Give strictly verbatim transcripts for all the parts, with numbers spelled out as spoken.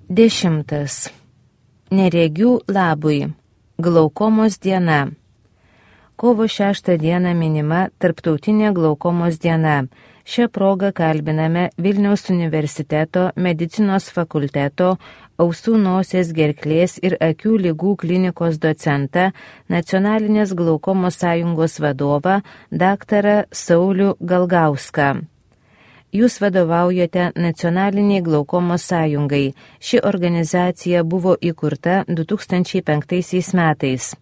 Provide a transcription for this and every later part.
Dešimtas. Neregių labui. Glaukomos diena. Kovo šeštą dieną minima Tarptautinė glaukomos diena. Šią progą kalbiname Vilniaus universiteto medicinos fakulteto ausų, nosies, gerklės ir akių ligų klinikos docentą, Nacionalinės glaukomos sąjungos vadovą, daktarą Saulių Galgauską. Jūs vadovaujate Nacionaliniai glaukomos sąjungai. Ši organizacija buvo įkurta du tūkstančiai penktaisiais metais.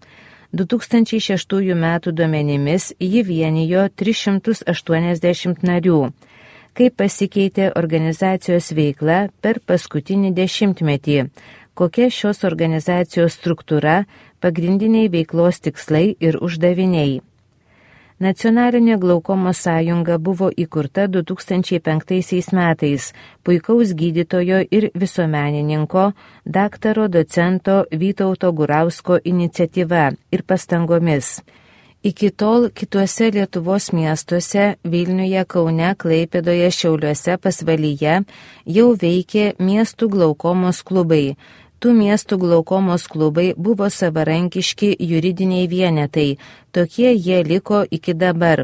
du tūkstančiai šeštųjų metų duomenimis ji vienijo tris šimtus aštuoniasdešimt narių. Kaip pasikeitė organizacijos veikla per paskutinį dešimtmetį? Kokia šios organizacijos struktūra, pagrindiniai veiklos tikslai ir uždaviniai? Nacionalinė glaukomos sąjunga buvo įkurta du tūkstančiai penktaisiais metais puikaus gydytojo ir visuomenininko, daktaro docento Vytauto Gurausko iniciatyva ir pastangomis. Iki tol kituose Lietuvos miestuose Vilniuje, Kaune, Klaipėdoje, Šiauliuose, Pasvalyje jau veikė miestų glaukomos klubai. Tų miestų glaukomos klubai buvo savarankiški juridiniai vienetai, tokie jie liko iki dabar.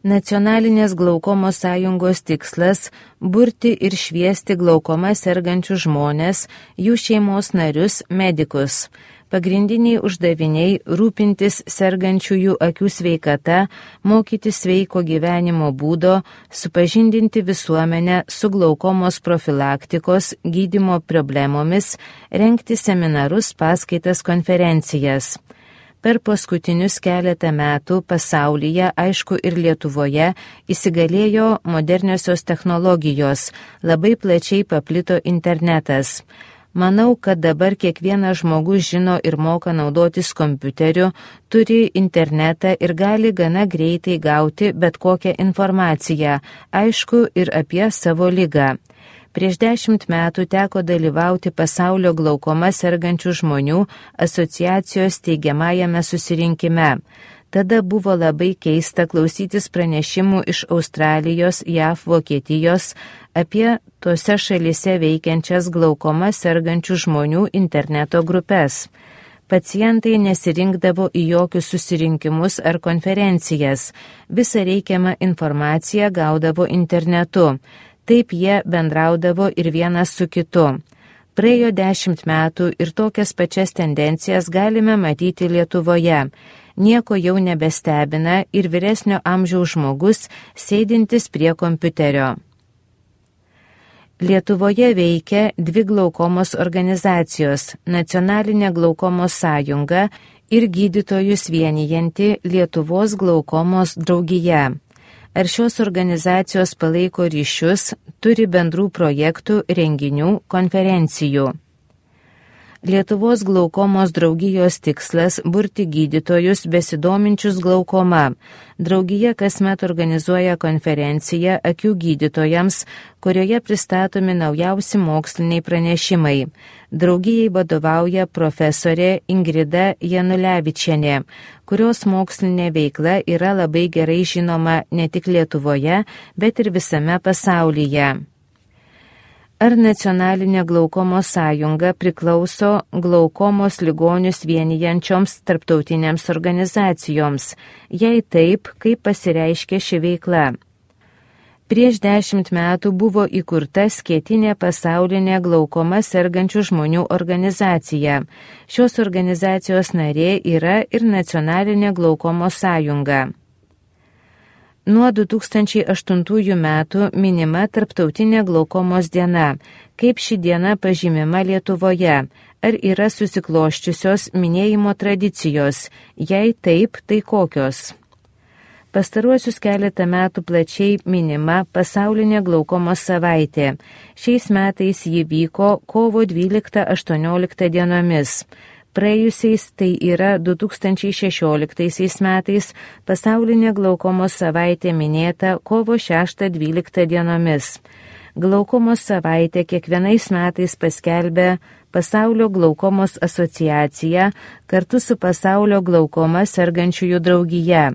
Nacionalinės glaukomos sąjungos tikslas – burti ir šviesti glaukoma sergančių žmonės, jų šeimos narius, medikus. Pagrindiniai uždaviniai – rūpintis sergančiųjų akių sveikata, mokyti sveiko gyvenimo būdo, supažindinti visuomenę su glaukomos profilaktikos, gydymo problemomis, rengti seminarus, paskaitas, konferencijas. Per paskutinius keletą metų pasaulyje, aišku ir Lietuvoje, įsigalėjo moderniosios technologijos, labai plačiai paplito internetas. Manau, kad dabar kiekvienas žmogus žino ir moka naudotis kompiuteriu, turi internetą ir gali gana greitai gauti bet kokią informaciją, aišku ir apie savo ligą. Prieš dešimt metų teko dalyvauti pasaulio glaukoma sergančių žmonių asociacijos teigiamajame susirinkime. Tada buvo labai keista klausytis pranešimų iš Australijos, J A V, Vokietijos apie tose šalyse veikiančias glaukoma sergančių žmonių interneto grupės. Pacientai nesirinkdavo į jokius susirinkimus ar konferencijas, visą reikiamą informaciją gaudavo internetu. Taip jie bendraudavo ir vienas su kitu. Praėjo dešimt metų ir tokias pačias tendencijas galime matyti Lietuvoje. Nieko jau nebestebina ir vyresnio amžiaus žmogus sėdintis prie kompiuterio. Lietuvoje veikia dvi glaukomos organizacijos – Nacionalinė glaukomos sąjunga ir gydytojus vienijanti Lietuvos glaukomos draugija. Ar šios organizacijos palaiko ryšius, turi bendrų projektų, renginių, konferencijų? Lietuvos glaukomos draugijos tikslas – burti gydytojus besidominčius glaukoma. Draugija kasmet organizuoja konferenciją akių gydytojams, kurioje pristatomi naujausi moksliniai pranešimai. Draugijai vadovauja profesorė Ingrida Janulevičienė, kurios mokslinė veikla yra labai gerai žinoma ne tik Lietuvoje, bet ir visame pasaulyje. Ar Nacionalinė glaukomos sąjunga priklauso glaukomos ligonius vienijančioms tarptautinėms organizacijoms? Jei taip, kaip pasireiškia ši veikla? Prieš dešimt metų buvo įkurta Skėtinė pasaulinė glaukoma sergančių žmonių organizacija. Šios organizacijos narė yra ir Nacionalinė glaukomos sąjunga. Nuo du tūkstančiai aštuntųjų metų minima Tarptautinė glaukomos diena. Kaip ši diena pažymima Lietuvoje? Ar yra susikloščiusios minėjimo tradicijos? Jei taip, tai kokios? Pastaruosius keletą metų plačiai minima pasaulinė glaukomos savaitė. Šiais metais ji vyko kovo dvyliktą aštuonioliktą dienomis. Praėjusiais, tai yra du tūkstančiai šešioliktaisiais metais, pasaulinė glaukomos savaitė minėta kovo šeštą dvyliktą dienomis. Glaukomos savaitė kiekvienais metais paskelbė Pasaulio glaukomos asociacija kartu su Pasaulio glaukoma sergančiųjų draugija.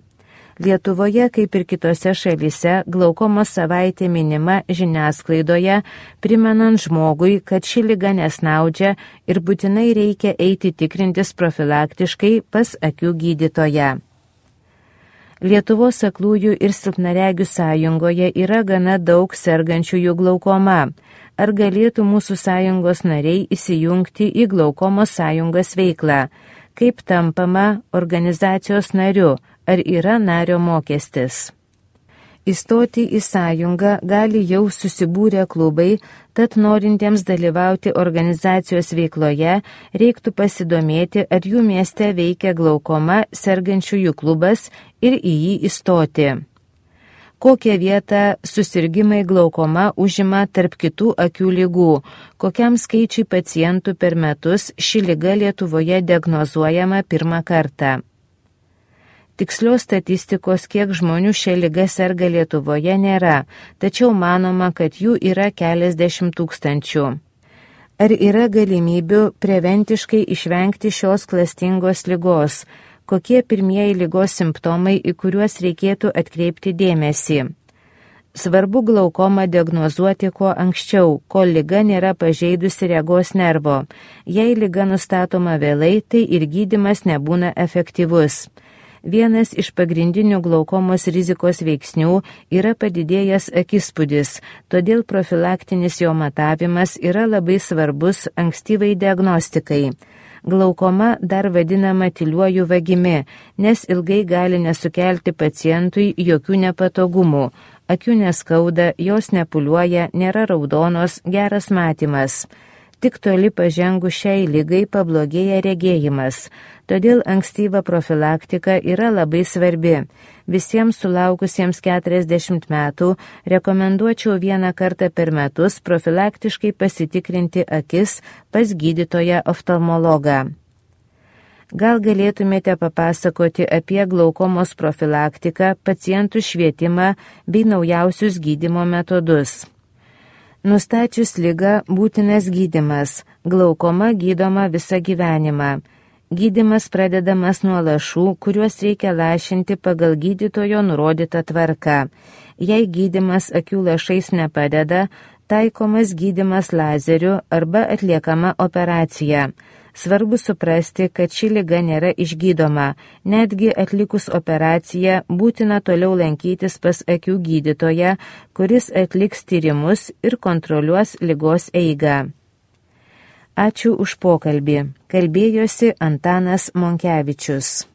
Lietuvoje, kaip ir kitose šalyse, glaukomos savaitė minima žiniasklaidoje, primenant žmogui, kad ši liga nesnaudžia ir būtinai reikia eiti tikrintis profilaktiškai pas akių gydytoją. Lietuvos aklųjų ir silpnaregių sąjungoje yra gana daug sergančiųjų glaukoma. Ar galėtų mūsų sąjungos nariai įsijungti į glaukomos sąjungos veiklą? Kaip tampama organizacijos nariu? Ar yra nario mokestis? Įstoti į sąjungą gali jau susibūrę klubai, tad norintiems dalyvauti organizacijos veikloje reiktų pasidomėti, ar jų mieste veikia glaukoma sergančiųjų klubas ir į jį įstoti. Kokią vietą susirgimai glaukoma užima tarp kitų akių ligų, kokiam skaičiui pacientų per metus ši liga Lietuvoje diagnozuojama pirmą kartą. Tikslios statistikos, kiek žmonių šią ligą serga Lietuvoje, nėra, tačiau manoma, kad jų yra keliasdešimt tūkstančių. Ar yra galimybių preventiškai išvengti šios klastingos ligos? Kokie pirmieji ligos simptomai, į kuriuos reikėtų atkreipti dėmesį? Svarbu glaukomą diagnozuoti kuo anksčiau, kol liga nėra pažeidusi regos nervo. Jei liga nustatoma vėlai, tai ir gydymas nebūna efektyvus. Vienas iš pagrindinių glaukomos rizikos veiksnių yra padidėjęs akispūdis, todėl profilaktinis jo matavimas yra labai svarbus ankstyvai diagnostikai. Glaukoma dar vadinama tyliuoju vagimi, nes ilgai gali nesukelti pacientui jokių nepatogumų. Akių neskauda, jos nepūliuoja, nėra raudonos, geras matymas. Tik toli pažengus šiai ligai pablogėja regėjimas. Todėl ankstyva profilaktika yra labai svarbi. Visiems sulaukusiems keturiasdešimt metų rekomenduočiau vieną kartą per metus profilaktiškai pasitikrinti akis pas gydytoją oftalmologą. Gal galėtumėte papasakoti apie glaukomos profilaktiką, pacientų švietimą bei naujausius gydymo metodus. Nustačius ligą būtinas gydymas. Glaukoma gydoma visą gyvenimą. Gydymas pradedamas nuo lašų, kuriuos reikia lašinti pagal gydytojo nurodytą tvarką. Jei gydymas akių lašais nepadeda, taikomas gydymas lazeriu arba atliekama operacija. Svarbu suprasti, kad ši liga nėra išgydoma. Netgi atlikus operaciją būtina toliau lankytis pas akių gydytoją, kuris atliks tyrimus ir kontroliuos ligos eigą. Ačiū už pokalbį. Kalbėjosi Antanas Monkevičius.